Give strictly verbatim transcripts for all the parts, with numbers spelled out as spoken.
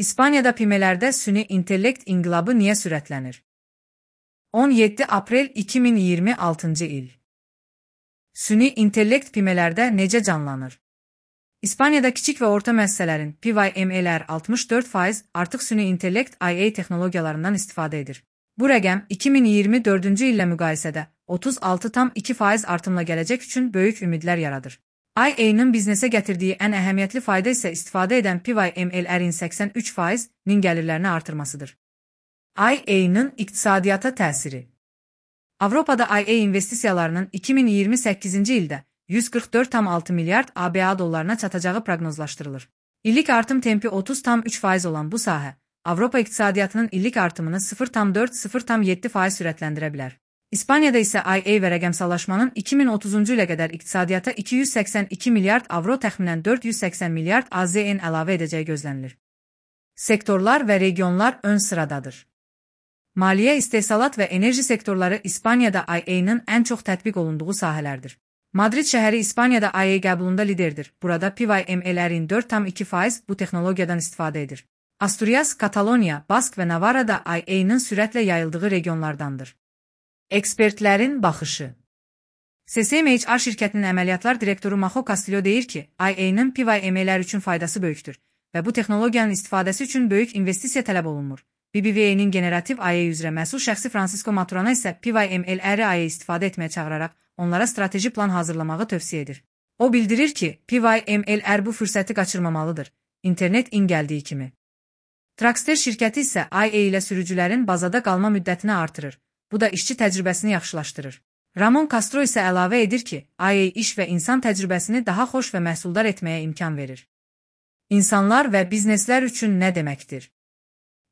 İspaniyada pimelərdə süni intellekt inqilabı niyə sürətlənir? on yeddi aprel iki min iyirmi altıncı il. Süni intellekt pimelərdə necə canlanır? İspaniyada kiçik və orta müəssisələrin P Y M L'lər altmış dörd faiz artıq süni intellekt I A texnologiyalarından istifadə edir. Bu rəqəm iki min iyirmi dördüncü illə müqayisədə otuz altı tam iki faiz artımla gələcək üçün böyük ümidlər yaradır. I A'nın biznesə gətirdiyi ən əhəmiyyətli fayda isə istifadə edən P Y M L'lərin səksən üç faizinin gəlirlərini artırmasıdır. I A'nın iqtisadiyyata təsiri. Avropada I A investisiyalarının iki min iyirmi səkkizinci ildə yüz qırx dörd tam altı milyard A B A dollarına çatacağı proqnozlaşdırılır. İllik artım tempi otuz tam üç faiz olan bu sahə, Avropa iqtisadiyyatının illik artımını sıfır tam dörd sıfır tam yeddi faiz sürətləndirə bilər. İspaniyada isə I A və rəqəmsallaşmanın iki min otuzuncu ilə qədər iqtisadiyyata iki yüz səksən iki milyard avro təxminən dörd yüz səksən milyard A Z N əlavə edəcəyi gözlənilir. Sektorlar və regionlar ön sıradadır. Maliyyə, istehsalat və enerji sektorları İspaniyada I A'nın ən çox tətbiq olunduğu sahələrdir. Madrid şəhəri İspaniyada I A qəbulunda liderdir. Burada P Y M L'lərin dörd tam iki faiz bu texnologiyadan istifadə edir. Asturias, Kataloniya, Bask və Navarra da I A'nın sürətlə yayıldığı regionlardandır. Ekspertlərin baxışı. C S M H R şirkətinin əməliyyatlar direktoru Majo Castillo deyir ki, I A'nın P Y M L'lər üçün faydası böyükdür və bu texnologiyanın istifadəsi üçün böyük investisiya tələb olunmur. B B V A-nin generativ I A üzrə məsul şəxsi Francisco Maturana isə P Y M L'ləri I A istifadə etməyə çağıraraq onlara strateji plan hazırlamağı tövsiyə edir. O bildirir ki, P Y M L'lər bu fürsəti qaçırmamalıdır, internet in gəldiyi kimi. Traxster şirkəti isə I A ilə sürücülərin bazada qalma müddətini artırır. Bu da işçi təcrübəsini yaxşılaşdırır. Ramon Castro isə əlavə edir ki, I A iş və insan təcrübəsini daha xoş və məhsuldar etməyə imkan verir. İnsanlar və bizneslər üçün nə deməkdir?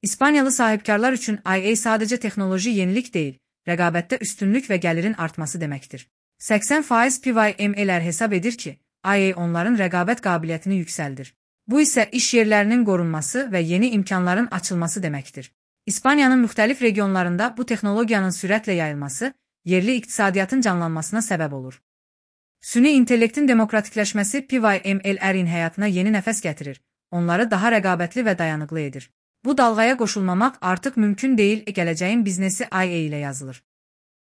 İspaniyalı sahibkarlar üçün I A sadəcə texnoloji yenilik deyil, rəqabətdə üstünlük və gəlirin artması deməkdir. səksən faiz P Y M L'lər hesab edir ki, I A onların rəqabət qabiliyyətini yüksəldir. Bu isə iş yerlərinin qorunması və yeni imkanların açılması deməkdir. İspaniyanın müxtəlif regionlarında bu texnologiyanın sürətlə yayılması, yerli iqtisadiyyatın canlanmasına səbəb olur. Süni intellektin demokratikləşməsi P Y M L'lərin həyatına yeni nəfəs gətirir, onları daha rəqabətli və dayanıqlı edir. Bu dalğaya qoşulmamaq artıq mümkün deyil, gələcəyin biznesi I A ilə yazılır.